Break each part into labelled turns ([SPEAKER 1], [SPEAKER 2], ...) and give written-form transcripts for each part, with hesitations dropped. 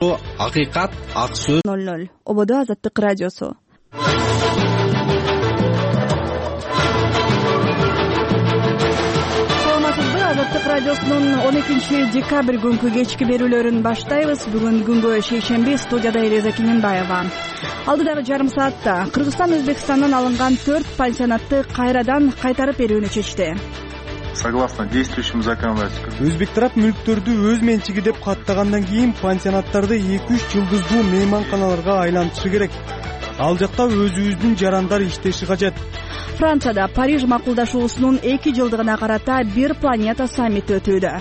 [SPEAKER 1] Акыйкат, ак сөз.
[SPEAKER 2] 00 Ободо Азаттык радиосу. Азаттык радиосунун 12-декабрь күнкү кечки берүүлөрүн баштайбыз. Бүгүн күнгө шейшемби, студияда Элиза Кененбаева. Алдыдагы жарым саатта Кыргызстан Өзбекстандан алынган 4 пансионатты кайрадан кайтарып берүүнү чечти.
[SPEAKER 3] Согласно действующему законодательству,
[SPEAKER 4] Өзбек тарап мүлктөрдү өз менчиги деп каттагандан кийин пансионаттарды 2-3 жылдыздуу мейманканаларга айлантышы керек. Ал жакта өзүбүздүн жарандар иштеши кажет.
[SPEAKER 2] Францияда Париж макулдашуусунун 2 жылдыгына карата бир планета саммити өтүүдө.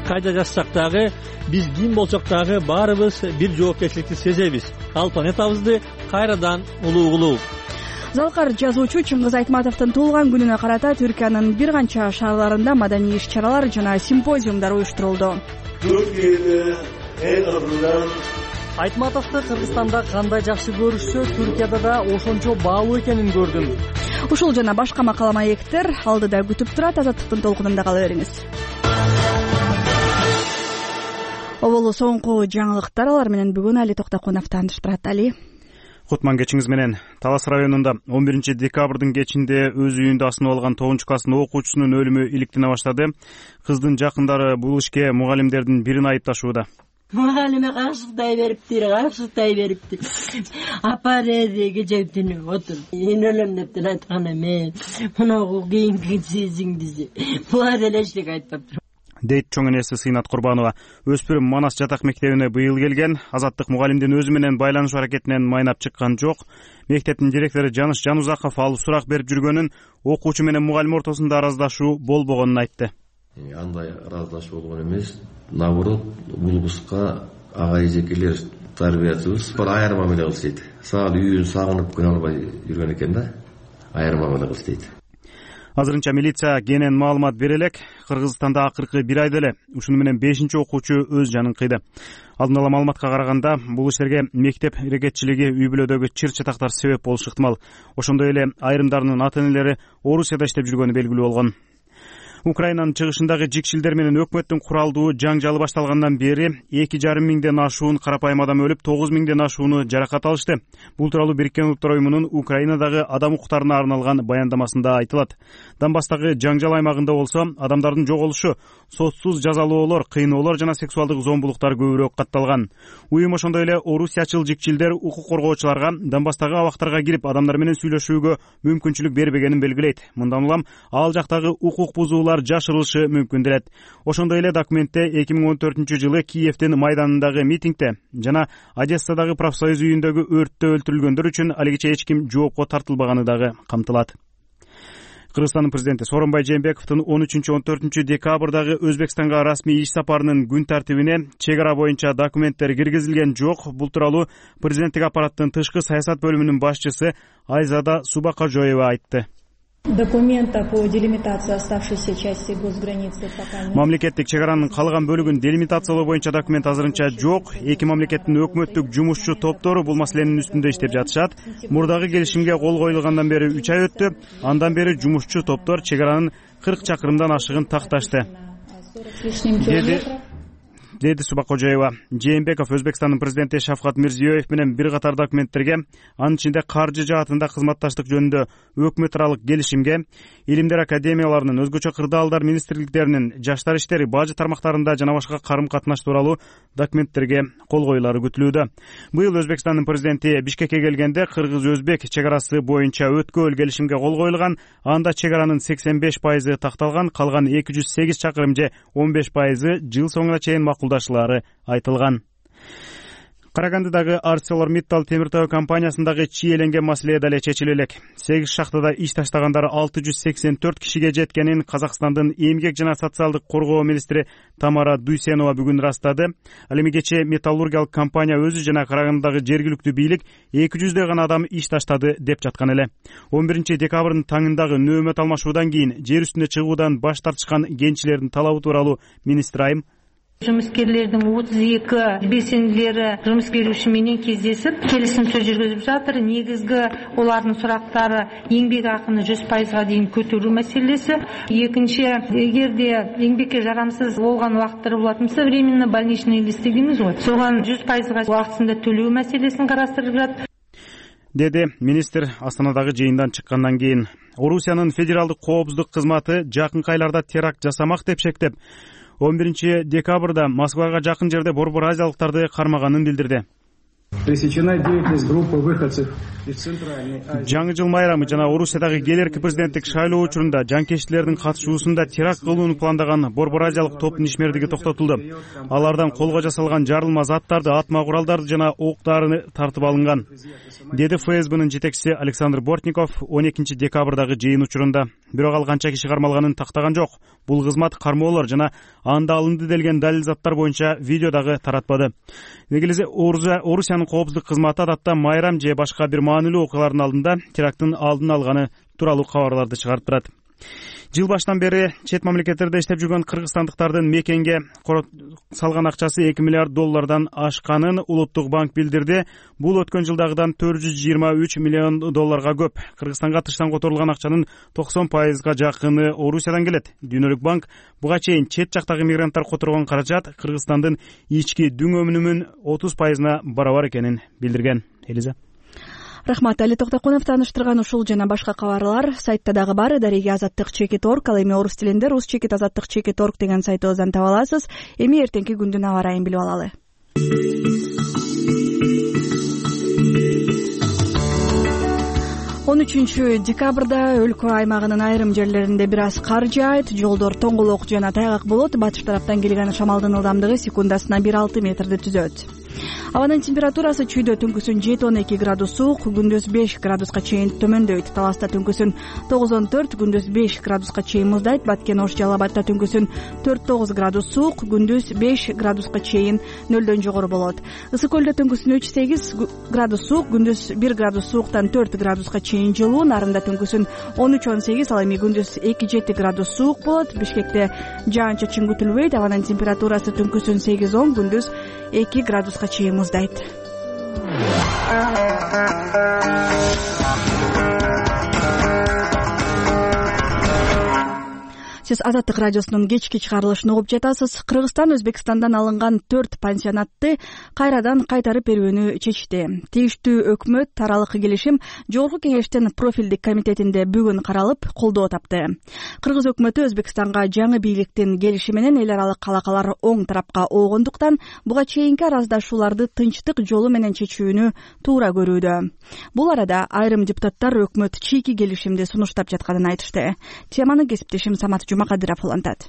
[SPEAKER 5] Кайда жазсак дагы, биз ким болсок дагы баарыбыз бир жоопкерчиликти сезебиз. Ал планетабызды кайрадан улуу.
[SPEAKER 2] Залкар жазуучу Чыңгыз Айтматовдун туулган күнүнө карата Түркиянын бир канча шаарларында маданий иш-чаралар жана симпозиумдар уюштурулду.
[SPEAKER 5] Айтматовду Кыргызстанда кандай жакшы көрүшсө, Түркияда да ошончо баалуу экенин көрдүм.
[SPEAKER 2] Ушул жана башка макала маектер алдыда күтүп турат. Азаттыктын толкунунда кала бериңиз. Оболу соңку жаңылыктар, алар менен бүгүн Али Токтокунов тааныштырат. Али.
[SPEAKER 4] Кутман кечиңиз менен. Талас районунда 11 декабрдын кечинде өз үйүндө асынып алган 9-класстын окуучусунун өлүмү иликтене баштады. Кыздын жакындары бул ишке мугалимдердин бирин айыпташууда.
[SPEAKER 6] Мугалиме кашыктай берипти. Апа деди кечептинип отур. Мен өлөм деп айткан эме. Мунагу кийинки сезиңдизи. Буга деле эчтек айтпаптыр.
[SPEAKER 4] Дейт чоң энеси Сыйнат Курбанова. Өспүрүм Манас жатак мектебине быйыл келген. Азаттык мугалимдин өзү менен байланышуу аракетинен майнап чыккан жок. Мектептин директору Жаныш Жанузаков ал сурак берип жүргөнүн, окуучу менен мугалим ортосунда араздашуу болбогонун айтты.
[SPEAKER 7] Андай араздашуу болгон эмес. Наоборот, бул кызга ага эжекелер тарбиячыбыз бир айыр мамиле кылыш дейт. Саал үйүн сагынып күнө албай жүргөн экен да. Айыр мамиле кылыш дейт.
[SPEAKER 4] Азырынча милиция кенен маалымат бере элек. Кыргызстанда акыркы бир айда эле ушуну менен 5-окуучу өз жанын кыйды. Алдын ала маалыматка караганда, бул иштерге мектеп ирекетчилиги, үй бүлөдөгү чыр-чатактар себеп болушу ыктымал. Ошондой эле айрымдарынын ата-энелери Орусияда иштеп жүргөнү белгилүү болгон. Украинанын чыгышындагы жикшилдер менен өкмөттүн куралдуу жаңжалы башталгандан бери 2,5 миңден ашуун карапайым адам өлүп, 9 миңден ашууну жаракат алышты. Бул тууралуу Бириккен Улуттар уюмунун Украинадагы адам укуктарына арналган баяндамасында айтылат. Донбасстагы жаңжал аймагында болсо, адамдардын жоголушу, сотсуз жазалоолор, кыйноолор жана сексуалдык зомбулуктар көбүрөөк катталган. Уюм ошондой эле орусиячыл жикшилдер укук коргоочуларга Донбасстагы абактарга кирип адамдар менен сүйлөшүүгө мүмкүнчүлүк бербегенин белгилейт. Мындан улам ал жактагы укук бузуулар жашырылышы мүмкүн делет. Ошондой эле документте 2014-жылы Киевдин майданындагы митингде жана Одессадагы профсоюз үйүндөгү өрттө өлтүрүлгөндөр үчүн алигиче эч ким жоопко тартылбаганы дагы камтылат. Кыргызстандын президенти Сооронбай Жээнбековдун 13-14 декабрдагы Өзбекстанга расмий иш сапарынын күн тартибине чек ара боюнча документтер киргизилген жок. Бул тууралуу президенттик аппараттын тышкы саясат бөлүмүнүн башчысы Айзада Субакожоева айтты.
[SPEAKER 8] Документа по делимитации оставшейся части госграницы пока нет.
[SPEAKER 4] Мамлекеттик чек аранын калган бөлүгүн делимитациялоо боюнча документ азырынча жок. Эки мамлекеттин өкмөттүк жумушчу топтору бул маселенин үстүндө иштеп жатышат. Мурдагы келишимге кол коюлгандан бери 3 ай өттү. Андан бери жумушчу топтор чек аранын 40 чакырымдан ашыгын такташты. Деди Субакожоева. Жээнбеков Өзбекстандын президенти Шавкат Мирзиёев менен бир катар документтерге, анын ичинде каржы жаатында кызматташтык жөнүндө өкмөт аралык келишимге, илимдер академияларынын, өзгөчө кырдаалдар министрликтеринин, жаштар иштери, бажы тармактарында жана башка карым-катнаш тууралуу документтерге кол коюлары күтүлүүдө. Быйыл Өзбекстандын президенти Бишкекке келгенде кыргыз-өзбек чек арасы боюнча өткөл келишимге кол коюлган. Анда чек аранын 85% такталган, калган 208 чакырым же 15% жыл соңуна чейин макулдашылары айтылган. Карагандыдагы ArcelorMittal темиртөө компаниясындагы чийеленген маселе дале чечиле элек. 8 шахтада иш таштагандар 684 кишиге жеткенин Казакстандын эмгек жана социалдык коргоо министри Тамара Дүйсенова бүгүн ырастады. Ал эми кечээ металлургиялык компания өзү жана Карагандыдагы жергиликтүү бийлик 200 гана адам иш таштады деп жаткан эле. 11 декабрдын таңындагы нөөмөт алмашуудан кийин жер үстүнө чыгуудан баш тартышкан кенчилердин талабы тууралуу министр айым
[SPEAKER 9] Жумушкерлердин 32 белсендилери жумуш берүүчү менен кездешип келишим сөз жүргүзүп жатыр. Негизги олардын сурактары эмгек акыны 100% дейин көтөрүү маселеси. Экинчи, эгерде эмгекке жарамсыз болгон убакыттар болот болсо, временно больничный лист дейбиз го. Согон 100% убактысында төлөө маселесин карастырып жатат,
[SPEAKER 4] деди министр Астанадагы жыйындан чыккандан кийин. Орусиянын федералдык коопсуздук кызматы жакынкы айларда теракт жасамак деп шектеп, 11 декабрда Москвага жакын жерде борбор азиялыктарды кармаганын билдирди. Жаңы жыл майрамы жана Орусиядагы келерки президенттик шайлоо учурунда жанкечтилердин катышуусунда теракт кылууну пландаган борбор азиялык топтун ишмердиги токтотулду. Алардан колго жасалган жарылма заттарды, атма куралдарды жана октарын тартып алынган, деди ФСБнын жетекчиси Александр Бортников 12 декабрдагы жыйын учурунда. Бирок ал канча киши кармалганын тактаган жок. Бул кызмат кармоолор жана анда алынды делген далил заттар боюнча видео дагы таратпады. Негизи Орусиянын коопсуздук кызматы адатта майрам же башка бир маанилүү окуялардын алдында теракттын алдын алганы тууралуу кабарларды чыгарып турат. Жыл башынан бери чет мамлекеттерде иштеп жүргөн кыргызстандыктардын мекенге салган акчасы $2 миллиард ашканын Улуттук банк билдирди. Бул өткөн жылдагыдан $423 миллион көп. Кыргызстанга тыштан которулган акчанын 90% жакыны Орусиядан келет. Дүйнөлүк банк буга чейин чет жактагы мигранттар которгон каражат Кыргызстандын ички дүң өнүмүнүн 30%-на барабар экенин билдирген. Элиза.
[SPEAKER 2] Рахмат, Али Токтокунов тааныштырган ушул жана башка кабарлар сайтта дагы бар. Дареге Азаттык.org, ал эми орус тилинде rus.azаттык.org деген сайтыбыздан таба аласыз. Эми эртеңки күндүн аба ырайын билип алалы. 13 декабрда өлкө аймагынын айрым жерлеринде бир аз кар жаайт, жолдор тоңголок жана тайгак болот. Батыш тараптан келген шамалдын ылдамдыгы секундасына 1,6 метрди түзөт. Абанын температурасы чүйдө түнкүсүн 7-12 градус суук, күндүз 5 градуска чейин төмөндөйт. Таласта түнкүсүн 9-14, күндүз 5 градуска чейин муздайт. Баткен Ош Жалал Абадта түнкүсүн 4-9 градус суук, күндүз 5 градуска чейин нөлдөн жогору болот. Ысык көлдө түнкүсүн 3-8 градус суук, күндүз 1 градус сууктан 4 градуска чейин жылуу. Нарында түнкүсүн 13-18, ал эми күндүз 2-7 градус суук болот. Бишкекте жаан-чачын күтүлбөйт. Абанын температурасы түнкүсүн 8-10, күндүз 2 градуска чейин муздайт. Сиз Азаттык радиосунун кечки чыгарылышын угуп жатасыз. Кыргызстан Өзбекстандан алынган 4 пансионатты кайрадан кайтарып берүүнү чечти. Тийиштүү өкмөт аралык келишим Жогорку кеңештин профилдик комитетинде бүгүн каралып, колдоо тапты. Кыргыз өкмөтү Өзбекстанга жаңы бийликтин келиши менен эл аралык алакалар оң тарапка оогондуктан буга чейинки араздашууларды тынчтык жолу менен чечүүнү туура көрүүдө. Бул арада айрым депутаттар өкмөт чийки келишимди сунуштап жатканын айтышты. Теманы кесиптешим Самат Жумакадыров улантат.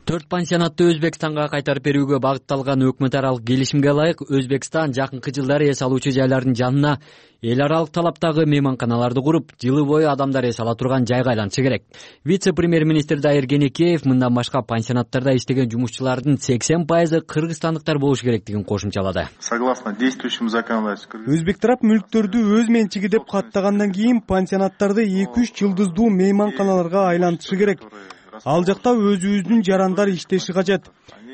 [SPEAKER 10] 4 пансионатты Өзбекстанга кайтарып берүүгө багытталган өкмөт аралык келишимге ылайык Өзбекстан жакынкы жылдары эс алуучу жайлардын жанына эл аралык талаптагы мейманканаларды куруп, жылы бою адамдар эс ала турган жайга айлантышы керек. Вице-премьер-министр Дайыр Кенекеев мындан башка пансионаттарда иштеген жумушчулардын 80% кыргызстандыктар болушу керектигин кошумчалады.
[SPEAKER 3] Согласно действующему законодательству,
[SPEAKER 11] Өзбек тарап мүлктөрдү өз менчиги деп каттагандан кийин пансионаттарды 2-3 жылдыздуу мейманканаларга айлантышы керек. Ал жакта өзүбүздүн жарандар иштеши кажет.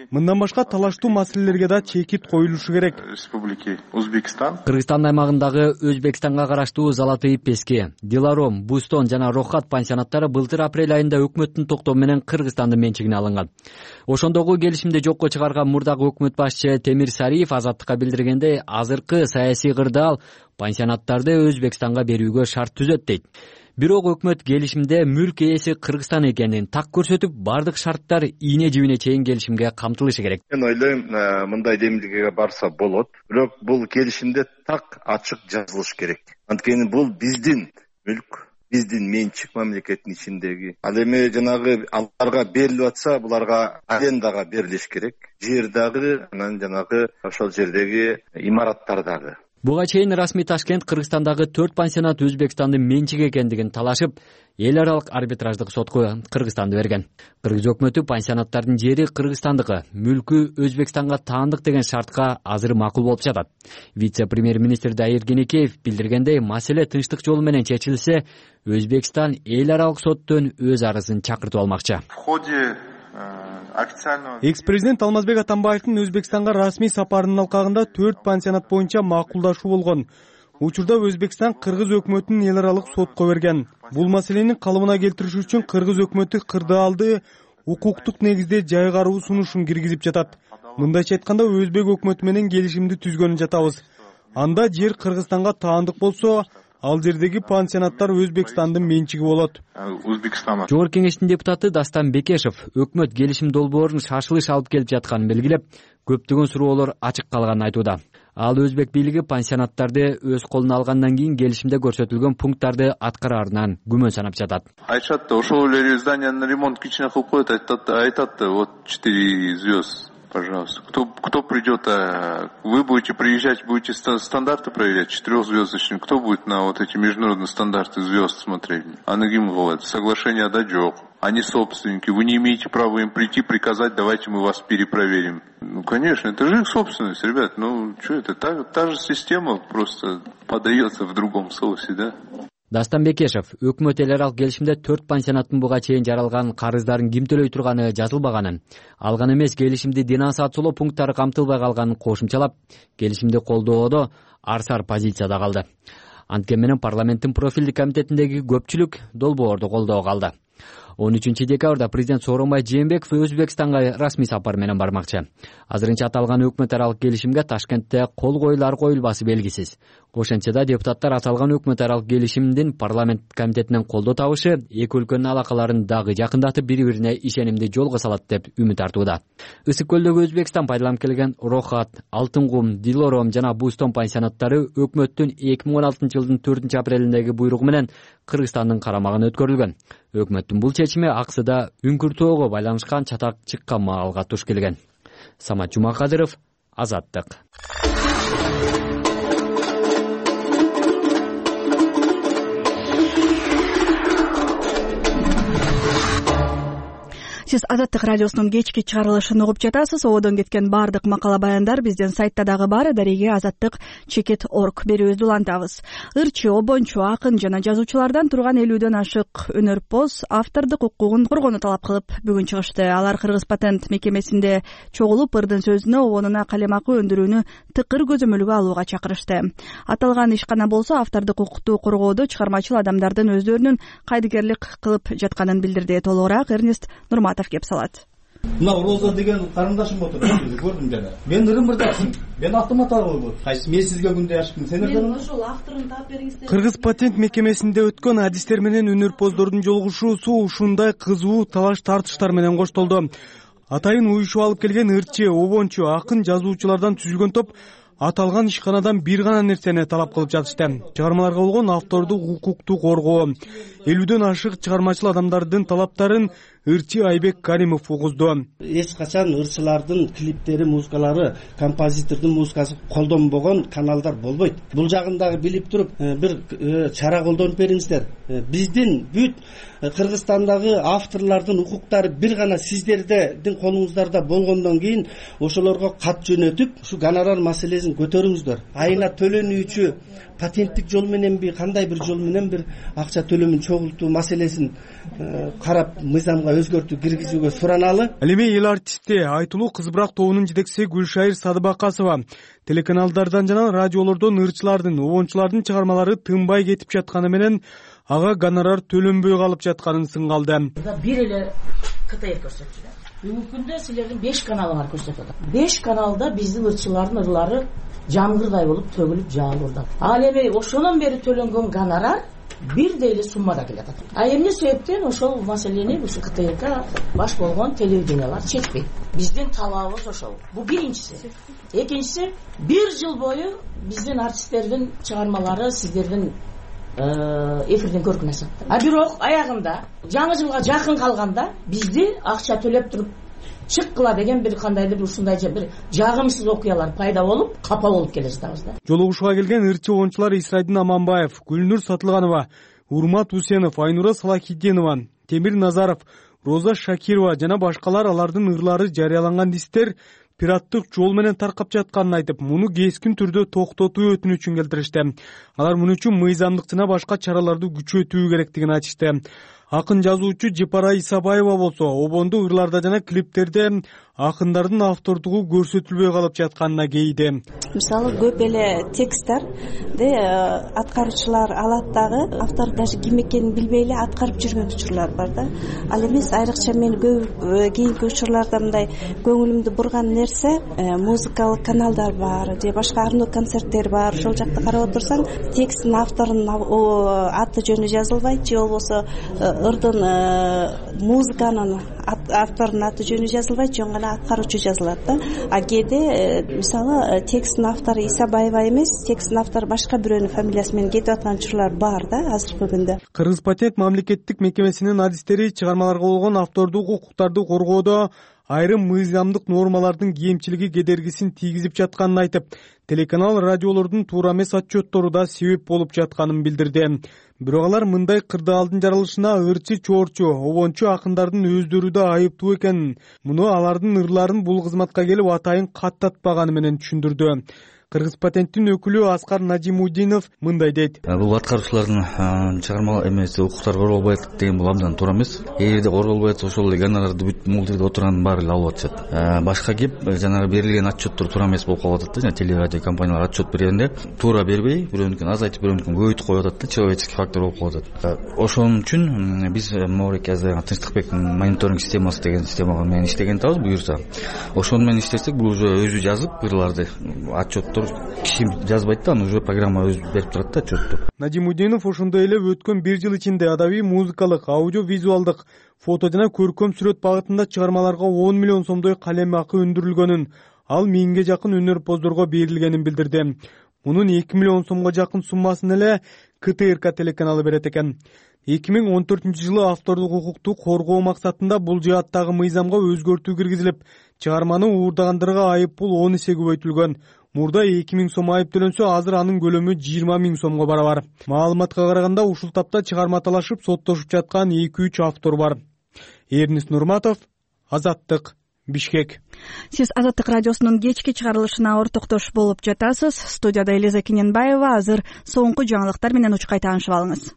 [SPEAKER 11] Мындан башка талаштуу маселелерге да чекит коюлушу керек.
[SPEAKER 3] Республики Өзбекстан,
[SPEAKER 10] Кыргызстан аймагындагы Өзбекстанга караштуу Залатый Песке, Диларом, Бустон жана Рохат пансионаттары былтыр апрель айында өкмөттүн токтому менен Кыргызстандын менчигине алынган. Ошондогу келишимди жокко чыгарган мурдагы өкмөт башчы Темир Сариев Азаттыкка билдиргендей, азыркы саясий кырдаал пансионаттарды Өзбекстанга берүүгө шарт түзөт дейт. Бирок өкмөт келишимде мүлк ээси Кыргызстан экенин так көрсөтүп, бардык шарттар ийне жибине чейин келишимге камтылышы керек.
[SPEAKER 12] Мен ойлойм, мындай демилгеге барса болот, бирок бул келишимде так ачык жазылыш керек. Анткени бул биздин мүлк, биздин менчик мамлекеттин ичиндеги. Ал эми жанагы аларга берилип атса, буларга арендага берилиш керек. Жер дагы, анан жанагы ошол жердеги имараттар дагы.
[SPEAKER 10] Буга чейин расмий Ташкент Кыргызстандагы 4 пансионат Өзбекстандын менчиги экендигин талашып, эл аралык арбитраждык сотко Кыргызстанды берген. Кыргыз өкмөтү пансионаттардын жери Кыргызстандыкы, мүлкү Өзбекстанга таандык деген шартка азыр макул болуп жатат. Вице-премьер-министр Дайыр Кенекеев билдиргендей, маселе тынчтык жолу менен чечилсе, Өзбекстан эл аралык соттон өз арызын чакыртып алмакчы.
[SPEAKER 3] В ходе официально
[SPEAKER 11] экс президент Алмазбек Атамбаевдин Өзбекстанга расмий сапарынын алкагында 4 пансионат боюнча макулдашуу болгон. Учурда Өзбекстан Кыргыз өкмөтүн эл аралык сотко берген. Бул маселени калыбына келтириш үчүн Кыргыз өкмөтү кырдаалды укуктук негизде жайгаруу сунушун киргизип жатат. Мындайча айтканда Өзбек өкмөтү менен келишимди түзгөнүн жатабыз. Анда жер Кыргызстанга таандык болсо, ал жердеги пансионаттар Өзбекстандын менчиги болот.
[SPEAKER 10] Жогорку кеңештин депутаты Дастан Бекешев өкмөт келишим долбоорун шашылыш алып келип жатканын белгилеп, көптөгөн суроолор ачык калганын айтууда. Ал өзбек бийлиги пансионаттарды өз колуна алгандан кийин келишимде көрсөтүлгөн пункттарды аткараарынан күмөн санап жатат.
[SPEAKER 3] Айтышат да, ошол эле зданияны ремонт кичине кылып коет, айтат да, вот 4 звезд. Пожалуйста. Кто придет, вы будете приезжать, будете стандарты проверять, 4-звездочные. Кто будет на вот эти международные стандарты звезд смотреть? Анагим говорит, соглашение дадёк. Они собственники, вы не имеете права им прийти, приказать, давайте мы вас перепроверим. Ну, конечно, это же их собственность, ребят. Ну, что это, та же система просто подается в другом соусе, да?
[SPEAKER 10] Дастан Бекешев өкмөт эл аралык келишимде 4 пансионаттын буга чейин жаралган карыздарын ким төлөй турганы жазылбаганын, ал гана эмес келишимди денонсациялоо пункттары камтылбай калганын кошумчалап, келишимди колдоодо арсар позицияда калды. Анткени менен парламенттин профилдик комитетиндеги көпчүлүк долбоорду колдоого алды. 13 декабрда президент Сооронбай Жээнбеков Өзбекстанга расмий сапар менен бармакчы. Азырынча аталган өкмөт аралык келишимге Ташкентте кол коюлар коюлбасы белгисиз. Ошентсе да депутаттар аталган өкмөт аралык келишимдин парламент комитетинен колдоо табышы эки өлкөнүн алакаларын дагы жакындатып бири-бирине ишенимди жолго салат деп үмүт артууда. Ысык көлдөгү Өзбекстан пайдаланып келген Рохат, Алтын кум, Дилором жана Бустон пансионаттары өкмөттүн 2016 жылдын 4 апрелиндеги буйругу менен Кыргызстандын карамагына өткөрүлгөн. Өкмөттүн бул чечими аксыда Үңкүр-Тоого байланышкан чатак чыккан маалга туш келген. Самат Жумакадыров, Азаттык.
[SPEAKER 2] Сиз Азаттык радиосунун кечки чыгарылышын угуп жатасыз. Ободон кеткен баардык макала баяндар биздин сайтта дагы бар. Дареге azattik.org берүүбүздү улантабыз. Ырчы, обончу, акын жана жазуучулардан турган 50дөн ашык өнөрпоз автордук укугун коргоону талап кылып бүгүн чыгышты. Алар Кыргыз патент мекемесинде чогулуп ырдын сөзүнө обонуна калемакы өндүрүүнү тыкыр көзөмөлгө алууга чакырышты. Аталган ишкана болсо автордук укукту коргоодо чыгармачыл адамдардын өздөрүнүн кайдыгерлик кылып жатканын билдирди. Толугураак Эрнест Нурматов кеп салат.
[SPEAKER 13] Мына Роза деген карындашым отур, көрдүм жана. Мен ырым-ырдаксың. Мен аттыма табылып. Кайсы мен сизге күндө ашыктым. Сендерден
[SPEAKER 2] ошол авторун таап бериңиздер.
[SPEAKER 11] Кыргыз патент мекемесинде өткөн адистер менен өнөрпоздордун жолугушуусу ушундай кызуу талаш тартыштар менен коштолду. Атайын уюшуп алып келген ырчы, обончу, акын жазуучулардан түзүлгөн топ аталган ишканадан бир гана нерсени талап кылып жатышты. Чыгармаларга болгон автордук укукту коргоо. 50дөн ашык чыгармачыл адамдардын талаптарын ырчы Айбек Каримов угузду.
[SPEAKER 14] Эч качан ырчылардын клиптери, музыкалары, композитордун музыкасы колдонбогон каналдар болбойт. Бул жагын дагы билип туруп, бир чара колдонуп бериңиздер. Биздин бүт Кыргызстандагы авторлордун укуктары бир гана сиздердин колуңуздарда болгондон кийин ошолорго кат жөнөтүп, ушу гонорар маселесин көтөрүңүздөр. Айына төлөнүүчү патенттик жол мененби, кандай бир жол менен бир акча төлөмүн чогултуу маселесин карап, мыйзамга өзгөртүү киргизүүгө сураналы.
[SPEAKER 11] Ал эми эл артисти, айтылуу кызбырак тобунун жетекчиси Гүлшайыр Садыбакасова телеканалдардан жана радиолордон ырчылардын, обончулардын чыгармалары тынбай кетип жатканы менен ага гонорар төлөнбөй калып жатканын сынгалды.
[SPEAKER 15] Бир эле КТР көрсөтүлөт. Бүгүнкү күндө силердин 5 каналыңар көрсөтөт. 5 каналда биздин ырчылардын ырлары жамгырдай болуп төгүлүп жаалууда. Ал эми ошонон бери төлөнгөн гонорар бирдей эле суммада келет. А эмне себептен ошол маселени ушу КТРга баш болгон телевидениялар чечпейт? Биздин талабыбыз ошол. Бул биринчиси. Экинчиси, 1 жыл бою биздин артисттердин чыгармалары сиздердин эфирден көргөн нерсе. А бирок аягында жаңы жылга жакын калганда бизди акча төлөп туруп чыккыла деген бир кандайдыр ушундай бир жагымсыз окуялар пайда болуп, капа болуп келе жатабыз да.
[SPEAKER 11] Жолугушууга келген ырчы обончулар Исрайдин Аманбаев, Гүлнур Сатылганова, Урмат Усенов, Айнура Салахитдинова, Темир Назаров, Роза Шакирова жана башкалар алардын ырлары жарыяланган дистер пираттык жол менен таркап жатканын айтып, муну кескин түрдө токтотуу өтүнүчүн келтиришти. Алар муну үчүн мыйзамдык жана башка чараларды күчөтүү керектигин айтышты. Акын жазуучу Жепара Исабаева болсо обондо ырларда жана клиптерде акындардын автордугу көрсөтүлбөй калып жатканына кейиди.
[SPEAKER 16] Мисалы көп эле тексттерди аткаруучулар алат дагы автор даже ким экенин билбей эле аткарып жүргөн учурлар бар да. Ал эмес айрыкча мен кийинки учурларда мындай көңүлүмдү бурган нерсе музыкалык каналдар бар же башка арноо концерттер бар. Ошол жакта карап отурсаң тексттин авторунун аты жөнү жазылбайт же болбосо ырдын музыканын авторунун аты жөнү жазылбайт, жөн гана аткаруучу жазылат да. А кээде мисалы тексттин автору Исабаева эмес, тексттин автору башка бирөөнүн фамилиясы менен кетип аткан учурлар бар да азыркы күндө.
[SPEAKER 11] Кыргыз патент мамлекеттик мекемесинин адистери чыгармаларга болгон автордук укуктарды коргоодо айрым мыйзамдык нормалардын кемчилиги кедергисин тийгизип жатканын айтып, телеканал радиолордун туура эмес отчеттору да себеп болуп жатканын билдирди. Бирок алар мындай кырдаалдын жаралышына ырчы чоорчу, обончу акындардын өздөрү да айыптуу экенин, муну алардын ырларын бул кызматка келип атайын каттатпаганы менен түшүндүрдү. Кыргыз патенттин өкүлү Аскар Надимудинов мындай дейт.
[SPEAKER 17] Бул аткаруучулардын чыгарма эмеси укуктары корголбойт деген бул абдан туура эмес. Эгерде корголбой атса ошол эле гонорарды бүт мулдирде отурганын баары эле алып атышат. Башка кеп жанагы берилген отчеттор туура эмес болуп калып атат да. Телерадио компаниялар отчет бергенде туура бербей, бирөөнүкүн азайтып, бирөөнүкүн көбөйтүп коюп атат да. Человеческий фактор болуп калып атат. Ошон үчүн биз могуреки Тынчтыкбектин мониторинг системасы деген система менен иштеген атабыз буюрса. Ошону менен иштесек бул уже өзү жазып ырларды отчеттор киши жазбайт да, аны уже программа өзү берип турат да отчетту.
[SPEAKER 11] Надимудинов ошондой эле өткөн 1 жыл ичинде адабий, музыкалык, аудио-визуалдык, фото жана көркөм сүрөт багытында чыгармаларга 10 миллион сомдой калем акы өндүрүлгөнүн, ал 1000ге жакын өнөрпоздорго берилгенин билдирди. Мунун 2 миллион сомго жакын суммасын эле КТРК телеканалы берет экен. 2014-жылы автордук укукту коргоо максатында бул жааттагы мыйзамга өзгөртүү киргизилип, чыгарманы уурдагандырга айып пул 10 эсе көбөйтүлгөн. Мурда 2000 сом айып төлөнсө, азыр анын көлөмү 20 000 сомго барабар. Маалыматка караганда ушул тапта чыгарма талашып, соттошуп жаткан 2-3 автор бар. Эрнис Нурматов, Азаттык, Бишкек.
[SPEAKER 2] Сиз Азаттык радиосунун кечки чыгарылышына ортоктош болуп жатасыз. Студияда Элиза Кененбаева. Азыр соңку жаңылыктар менен учкай таанышып алыңыз.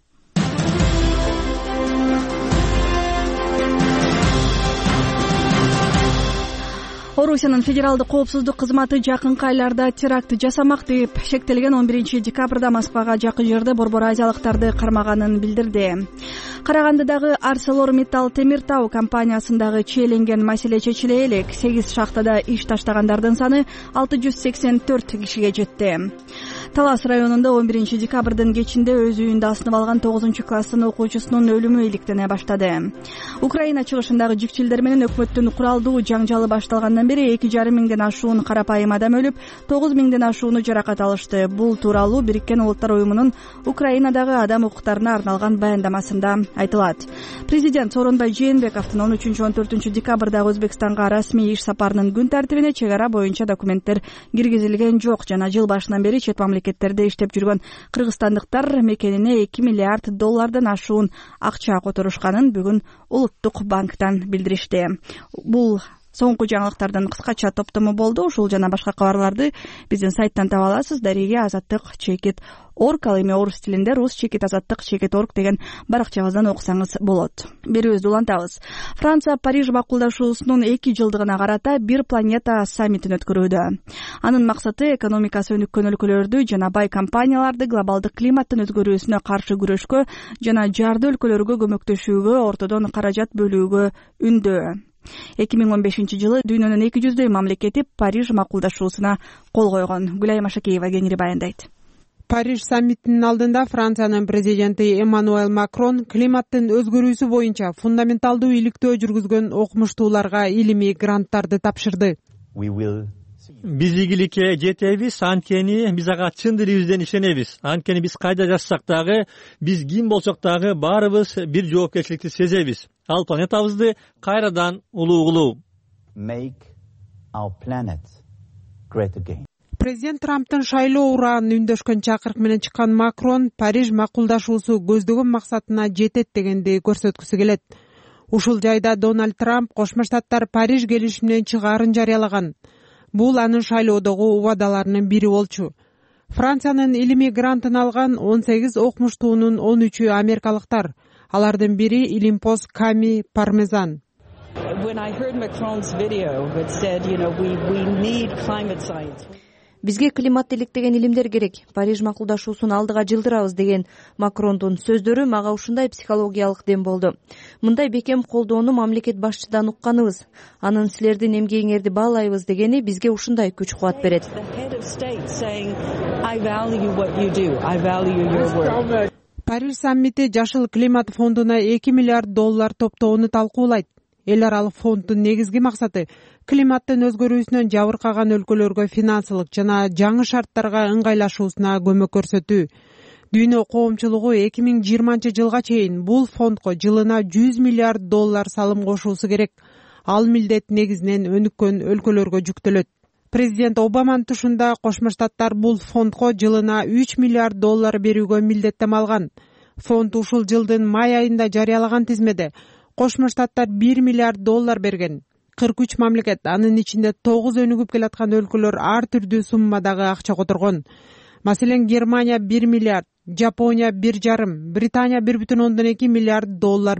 [SPEAKER 2] Орусиянын федералдык коопсуздук кызматы жакынкы айларда теракт жасамак деп шектелген 11 декабрда Москвага жакын жерде борбор азиялыктарды кармаганын билдирди. Карагандыдагы ArcelorMittal темир тау компаниясындагы чейленген маселе чечиле элек 8 шахтада иш таштагандардын саны 684 кишиге жетти. Талас районунда 11 декабрдын кечинде өз үйүндө асынып алган 9-класстын окуучусунун өлүмү иликтене баштады. Украина чыгышындагы жикчилдер менен өкмөттүн куралдуу жаңжалы башталгандан бери 2,5 миңден ашуун карапайым адам өлүп, 9 миңден ашууну жаракат алышты. Бул тууралуу Бириккен Улуттар уюмунун Украинадагы адам укуктарына арналган баяндамасында айтылат. Президент Сооронбай Жээнбековдун 13-14 декабрдагы Өзбекстанга расмий иш сапарынын күн тартибине чек ара боюнча документтер киргизилген жок жана жыл башынан бери чет мамлекеттерде иштеп жүргөн кыргызстандыктар мекенине 2 миллиард доллардан ашуун акча которушканын бүгүн Улуттук банктан билдиришти. Бул соңку жаңылыктардын кыскача топтому болду. Ушул жана башка кабарларды биздин сайттан таба аласыз. Дареге Азаттык.org, ал эми орус тилинде rus-azаттык.org деген баракчабыздан окусаңыз болот. Берүүбүздү улантабыз. Франция Париж макулдашуусунун 2 жылдыгына карата бир планета саммитин өткөрүүдө. Анын максаты экономикасы өнүккөн өлкөлөрдү жана бай компанияларды глобалдык климаттын өзгөрүүсүнө каршы күрөшкө жана жарды өлкөлөргө көмөктөшүүгө ортодон каражат бөлүүгө үндөө. 2015-жылы дүйнөнүн 200 мамлекети Париж макулдашуусуна кол койгон. Гүлай Машакеева кеңири баяндайт.
[SPEAKER 18] Париж саммитинин алдында Франциянын президенти Эммануэль Макрон климаттын өзгөрүүсү боюнча фундаменталдуу иликтөө жүргүзгөн окумуштууларга илимий гранттарды тапшырды.
[SPEAKER 5] Биз ийгиликке жетебиз, анткени биз ага чын дилибизден ишенебиз. Анткени биз кайда жашасак дагы, биз ким болсок дагы баарыбыз бир жоопкерчиликти сезебиз. Ал планетабызды кайрадан улуу кылуу.
[SPEAKER 18] Президент Трамптын шайлоо ураан үндөшкөн чакырык менен чыккан Макрон Париж макулдашуусу көздөгөн максатына жетет дегенди көрсөткүсү келет. Ушул жайда Дональд Трамп Кошмо Штаттар Париж келишиминен чыгаарын жарыялаган. Бул анын шайлоодогу убадаларынын бири болчу. Франциянын илимий грантын алган 18 окумуштуунун 13-ü америкалыктар. Алардын бири Илимпоз Ками Пармезан.
[SPEAKER 19] Бизге климатты иликтеген илимдер керек. Париж макулдашуусун алдыга жылдырабыз деген Макрондун сөздөрү мага ушундай психологиялык дем болду. Мындай бекем колдоону мамлекет башчыдан укканыбыз. Анын силердин эмгегиңерди баалайбыз дегени бизге ушундай күч кубат берет.
[SPEAKER 18] Париж саммити Жашыл климат фондуна $2 миллиард топтоону талкуулайт. Эл аралык фонддун негизги максаты климаттын өзгөрүүсүнөн жабыркаган өлкөлөргө финансылык жана жаңы шарттарга ыңгайлашуусуна көмөк көрсөтүү. Дүйнө коомчулугу 2020 жылга чейин бул фондко жылына $100 миллиард салым кошуусу керек. Ал милдет негизинен өнүккөн өлкөлөргө жүктөлөт. Президент Обаманын тушунда Кошмо Штаттар бул фондко жылына $3 миллиард берүүгө милдеттем алган. Фонд ушул жылдын май айында жарыялаган тизмеде Кошмо Штаттар $1 миллиард берген. 43 мамлекет, анын ичинде 9 өнүгүп келаткан өлкөлөр ар түрдүү суммадагы акча которгон. Маселен, Германия $1 миллиард, Жапония 1,5, Британия $1,2 миллиард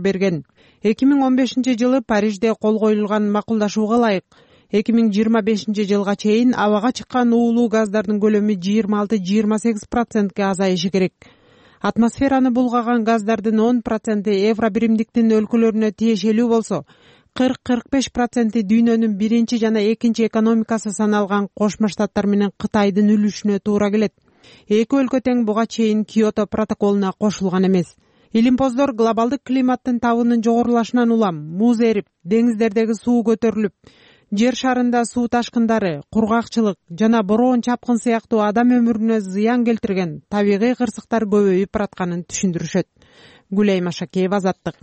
[SPEAKER 18] берген. 2015 жылы Парижде кол коюлган макулдашууга ылайык 2025 жылга чейин абага чыккан уулуу газдардын көлөмү 26-28%ке азайышы керек. Атмосфераны булгаган газдардын 10% евро биримдиктин өлкөлөрүнө тиешелүү болсо, 40-45% дүйнөнүн биринчи жана экинчи экономикасы саналган Кошмо Штаттар менен Кытайдын үлүшүнө туура келет. Эки өлкө тең буга чейин Киото протоколуна кошулган эмес. Илимпоздор глобалдык климаттын табынын жогорулашынан улам, муз эрип, деңиздердеги суу көтөрүлүп, жер шарында суу ташкындары, кургакчылык жана бороон чапкын сыяктуу адам өмүрүнө зыян келтирген табигый кырсыктар көбөйүп баратканын түшүндүрүшөт. Гүлей Машакеева, Азаттык.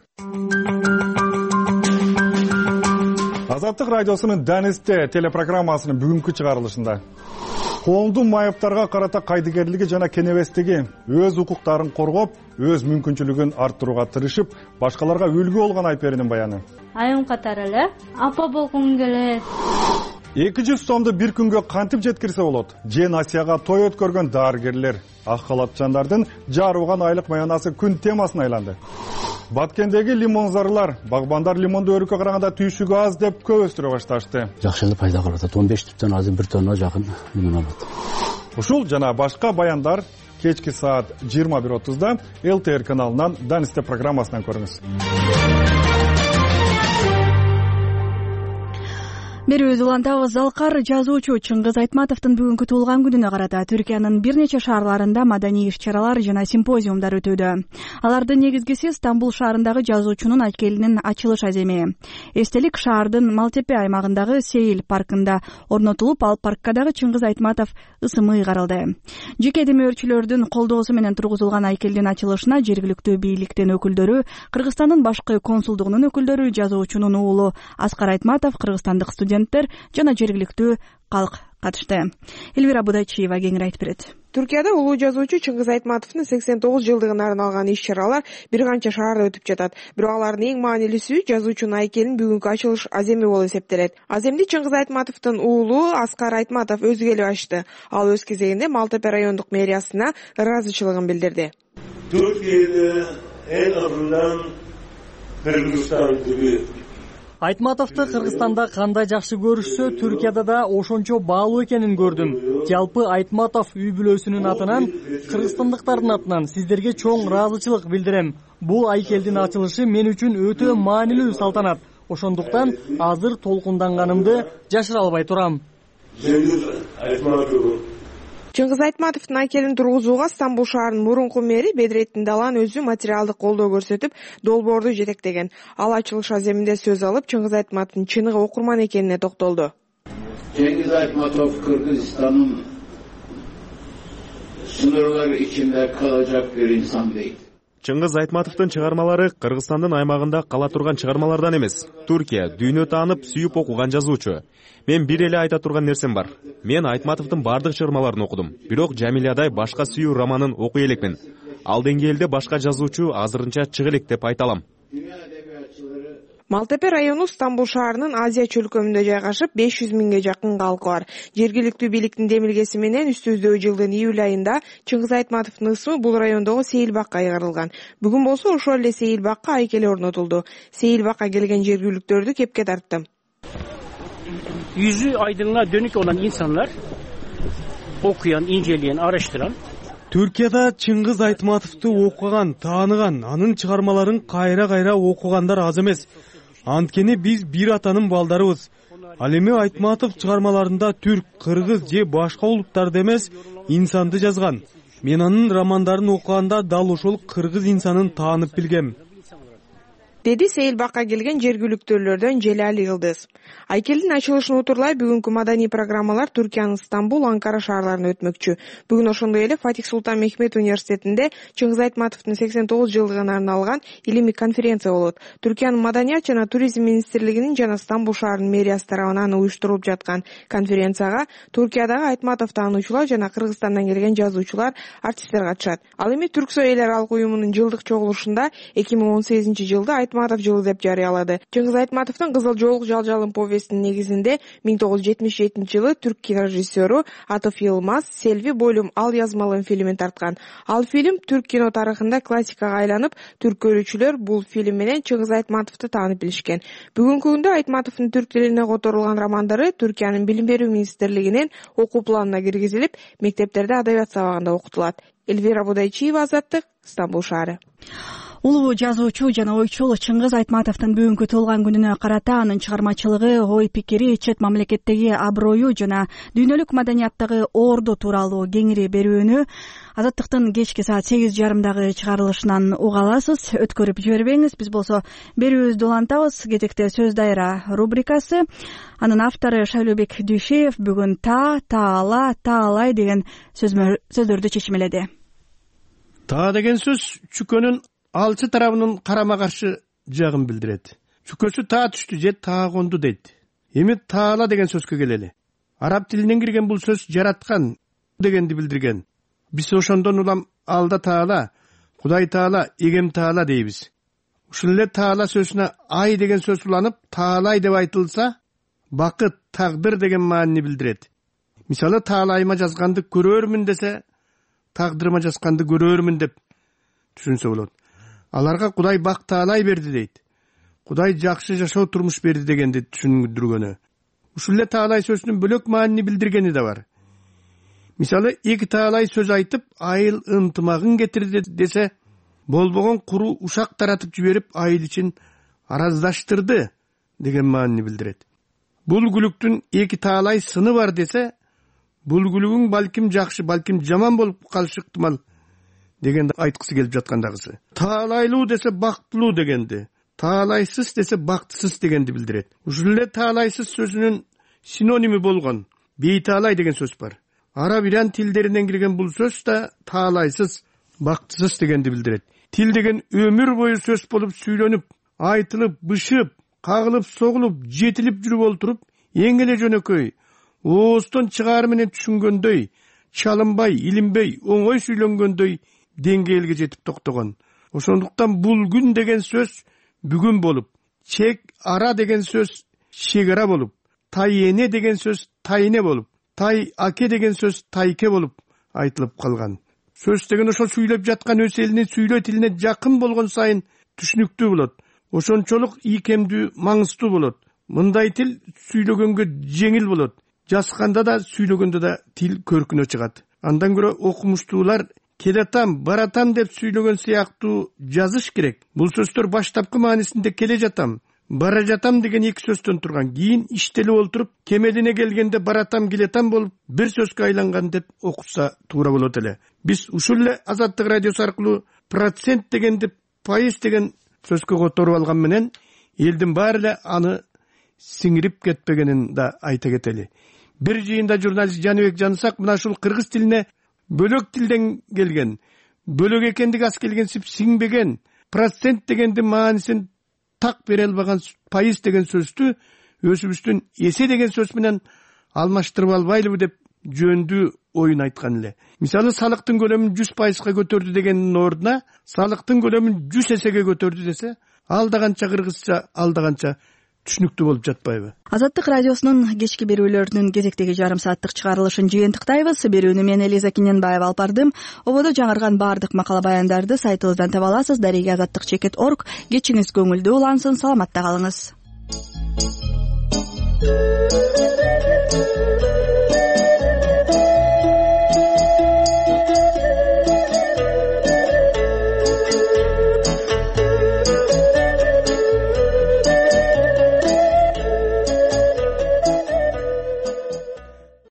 [SPEAKER 20] Азаттык радиосунун Данисте телепрограммасынын бүгүнкү чыгарылышында коомдун майыптарга карата кайдыгерлиги жана кенебестиги, өз укуктарын коргоп, өз мүмкүнчүлүгүн арттырууга тырышып, башкаларга үлгү болгон Айперинин баяны.
[SPEAKER 21] Айым катары эле апа болгум келет.
[SPEAKER 20] 200 сомду бир күнгө кантип жеткирсе болот? Жен Асияга той өткөргөн дарыгерлер, ак халатчандардын жарууган айлык маянасы күн темасына айланды. Баткендеги лимонзарлар, багбандар лимонду өрүккө караганда түйшүгү аз деп көп өстүрө башташты.
[SPEAKER 22] Жакшы эле пайда кылып атат. 15 түптөн азыр 1 тонна жакын лимон алат.
[SPEAKER 20] Ушул жана башка баяндар кечки саат 21:30 ЛТР каналынан Данисте программасынан көрүңүз.
[SPEAKER 2] Берүүбүз улантабыз. Залкар жазуучу Чыңгыз Айтматовдун бүгүнкү туулган күнүнө карата Түркиянын бир нече шаарларында маданий иш-чаралар жана симпозиумдар өтүүдө. Алардын негизгиси Стамбул шаарындагы жазуучунун айкелинин ачылыш аземи. Эстелик шаардын Малтепе аймагындагы Сейил паркында орнотулуп, ал паркка дагы Чыңгыз Айтматов ысымы ыйгарылды. Жеке демөөрчүлөрдүн колдоосу менен тургузулган айкелдин ачылышына жергиликтүү бийликтин өкүлдөрү, Кыргызстандын башкы консулдугунун өкүлдөрү, жазуучунун уулу Аскар Айтматов, кыргызстандык студенттер жана жергиликтүү калк катышты. Элвира Будайчиева кеңири айтып берет.
[SPEAKER 23] Түркияда улуу жазуучу Чыңгыз Айтматовдун 89 жылдыгына арналган иш-чаралар бир канча шаарда өтүп жатат. Бирок алардын эң маанилүүсү жазуучунун айкелин бүгүнкү ачылыш аземи болуп эсептелет. Аземди Чыңгыз Айтматовдун уулу Аскар Айтматов өзү келип ачты. Ал өз кезегинде Малтепе райондук мэриясына ыраазычылыгын билдирди.
[SPEAKER 24] Түркияда эң азынан Кыргызстан түбү.
[SPEAKER 25] Айтматовду Кыргызстанда кандай жакшы көрүшсө, Түркияда да ошончо баалуу экенин көрдүм. Жалпы Айтматов үй бүлөсүнүн атынан, кыргызстандыктардын атынан сиздерге чоң ыраазычылык билдирем. Бул айкелдин ачылышы мен үчүн өтө маанилүү салтанат. Ошондуктан азыр толкунданганымды жашыра албай турам.
[SPEAKER 23] Чыңгыз Айтматовдун айкелин тургузууга Стамбул шаарынын мурунку мэри Бедретдин Далан өзү материалдык колдоо көрсөтүп, долбоорду жетектеген. Ал ачылыш аземинде сөз алып, Чыңгыз Айтматовдун чыныгы окурман экенине токтолду.
[SPEAKER 24] Чыңгыз Айтматов Кыргызстандын sınırları içinde kalacak bir insan değil.
[SPEAKER 26] Чыңгыз Айтматовдун чыгармалары Кыргызстандын аймагында кала турган чыгармалардан эмес. Түркия, дүйнө таанып, сүйүп окуган жазуучу. Мен бир эле айта турган нерсем бар. Мен Айтматовдун бардык чыгармаларын окудум. Бирок Жамилядай башка сүйүү романын окуй элекмин. Ал деңгээлде башка жазуучу азырынча чыга элек деп айта алам.
[SPEAKER 23] Малтепе району Стамбул шаарынын Азия чөлкөмүндө жайгашып, 500 миңге жакын калкы бар. Жергиликтүү бийликтин демилгеси менен үстүбүздөгү жылдын июль айында Чыңгыз Айтматовдун ысымы бул райондогу Сейил бакка айгарылган. Бүгүн болсо ошол эле Сейил бакка айкели орнотулду. Сейил бакка келген жергиликтүүлөрдү кепке тартты.
[SPEAKER 1] Yüzü aydınlığa dönük olan insanlar okuyan, inceleyen, araştıran.
[SPEAKER 11] Түркияда Чыңгыз Айтматовду окуган, тааныган, анын чыгармаларын кайра окугандар аз эмес. Анткени биз бир атанын балдарыбыз. Ал эми Айтматов чыгармаларында түрк, кыргыз же башка улуттарды эмес, инсанды жазган. Мен анын романдарын окуганда дал ошол кыргыз инсанын таанып билгем,
[SPEAKER 23] деди Сейил бакка келген жергиликтүүлөрдөн Желали Йылдыз. Айкелдин ачылышын утурлай бүгүнкү маданий программалар Түркиянын Стамбул, Анкара шаарларында өтмөкчү. Бүгүн ошондой эле Фатих Султан Мехмет университетинде Чыңгыз Айтматовдун 89 жылдыгына арналган илимий конференция болот. Түркиянын маданият жана туризм министрлигинин жана Стамбул шаарынын мэриясы тарабынан уюштурулуп жаткан конференцияга Түркиядагы Айтматов таануучулар жана Кыргызстандан келген жазуучулар, артисттер катышат. Ал эми Түрксой элер алык уюмунун жылдык чогулушунда 2018-жылды Айтматов жылы деп жарыялады. Чыңгыз Айтматовдун Кызыл жоолук жалжалым повестинин негизинде 1977-жылы түрк кинорежиссеру Атыф Йылмаз Селви бойлум ал язмалым фильмин тарткан. Ал фильм түрк кино тарыхында классикага айланып, түрк көрүүчүлөр бул фильм менен Чыңгыз Айтматовду таанып билишкен. Бүгүнкү күндө Айтматовдун түрк тилине которулган романдары Түркиянын билим берүү министрлигинин окуу планына киргизилип, мектептерде адабият сабагында окутулат. Эльвира Будайчиева, Азаттык, Стамбул шаары.
[SPEAKER 2] Улуу жазуучу жана ойчул Чыңгыз Айтматовдун бүгүнкү туулган күнүнө карата анын чыгармачылыгы, ой пикири, чет мамлекеттеги аброю жана дүйнөлүк маданияттагы орду тууралуу кеңири берүүнү Азаттыктын кечки саат 8:30 чыгарылышынан уга аласыз. Өткөрүп жибербеңиз. Биз болсо берүүбүздү улантабыз. Кезекте сөз дайра рубрикасы. Анын автору Шайлообек Дүйшеев бүгүн таалай деген сөздөрдү чечмеледи.
[SPEAKER 4] Таа деген сөз чүкөнүн алчы тарабынын карама каршы жагын билдирет. Чүкөсү таа түштү же таа конду дейт. Эми таала деген сөзгө келели. Араб тилинен кирген бул сөз жараткан дегенди билдирген. Биз ошондон улам алда таала, Кудай таала, эгем таала дейбиз. Ушул эле таала сөзүнө ай деген сөз уланып, таалай деп айтылса, бакыт, тагдыр деген маанини билдирет. Мисалы, таалайыма жазганды көрөрмүн десе, тагдырыма жазганды көрөрмүн деп түшүнсө болот. Аларга Кудай бак таалай берди дейт. Кудай жакшы жашоо турмуш берди дегенди түшүндүргөнү. Ушул эле таалай сөзүнүн бөлөк маанини билдиргени да бар. Мисалы, эки таалай сөз айтып, айыл ынтымагын кетирди десе, болбогон куру ушак таратып жиберип, айыл ичин араздаштырды деген маанини билдирет. Бул күлүктүн эки таалай сыны бар десе, бул күлүгүң балким жакшы, балким жаман болуп калышы ыктымал дегенди айткысы келип жаткандагысы. Таалайлуу десе бактылуу дегенди, таалайсыз десе бактысыз дегенди билдирет. Ушул эле таалайсыз сөзүнүн синоними болгон бейтаалай деген сөз бар. Араб иран тилдеринен кирген бул сөз да таалайсыз, бактысыз дегенди билдирет. Тил деген өмүр бою сөз болуп сүйлөнүп, айтылып, бышып, кагылып, согулуп, жетилип жүрүп олтуруп, эң эле жөнөкөй, ооздон чыгаар менен түшүнгөндөй, чалынбай, илинбей, оңой сүйлөнгөндөй деңгээлге жетип токтогон. Ошондуктан бул күн деген сөз бүгүн болуп, чек ара деген сөз чегара болуп, тай эне деген сөз тайне болуп, тай аке деген сөз тайке болуп айтылып калган. Сөз деген ошол сүйлөп жаткан өз элинин сүйлөө тилине жакын болгон сайын түшүнүктүү болот. Ошончолук ийкемдүү, маңыздуу болот. Мындай тил сүйлөгөнгө жеңил болот. Жазганда да, сүйлөгөндө да тил көркүнө чыгат. Андан көрө окумуштуулар келатам, баратам деп сүйлөгөн сыяктуу жазыш керек. Бул сөздөр баштапкы маанисинде келе жатам, бара жатам деген эки сөздөн турган. Кийин иштелип олтуруп, кемелине келгенде баратам, келетам болуп, бир сөзгө айланган деп окутса туура болот эле. Биз ушул эле Азаттык радиосу аркылуу процент дегенди пайыз деген сөзгө которуп алган менен элдин баары эле аны сиңирип кетпегенин да айта кетели. Бир жыйында журналист Жаныбек Жанысак мына ушул кыргыз тилине бөлөк тилден келген, бөлөк экендиги аз келгенсип сиңбеген, процент дегенди маанисин так бере албаган пайыз деген сөздү өзүбүздүн эсе деген сөз менен алмаштырып албайлыбы деп жөндүү оюн айткан эле. Мисалы, салыктын көлөмүн 100%га көтөрдү дегендин ордуна салыктын көлөмүн 100 эсеге көтөрдү десе, ал да канча кыргызча, ал да канча түшүнүктүү болуп жатпайбы?
[SPEAKER 2] Азаттык радиосунун кечки берүүлөрүнүн кезектеги жарым сааттык чыгарылышын жыйынтыктайбыз. Берүүнү мен Элиза Кененбаева алып бардым. Ободо жаңырган баардык макала баяндарды сайтыбыздан таба аласыз. Дареги азаттык.org. Кечиңиз көңүлдүү улансын. Саламатта калыңыз.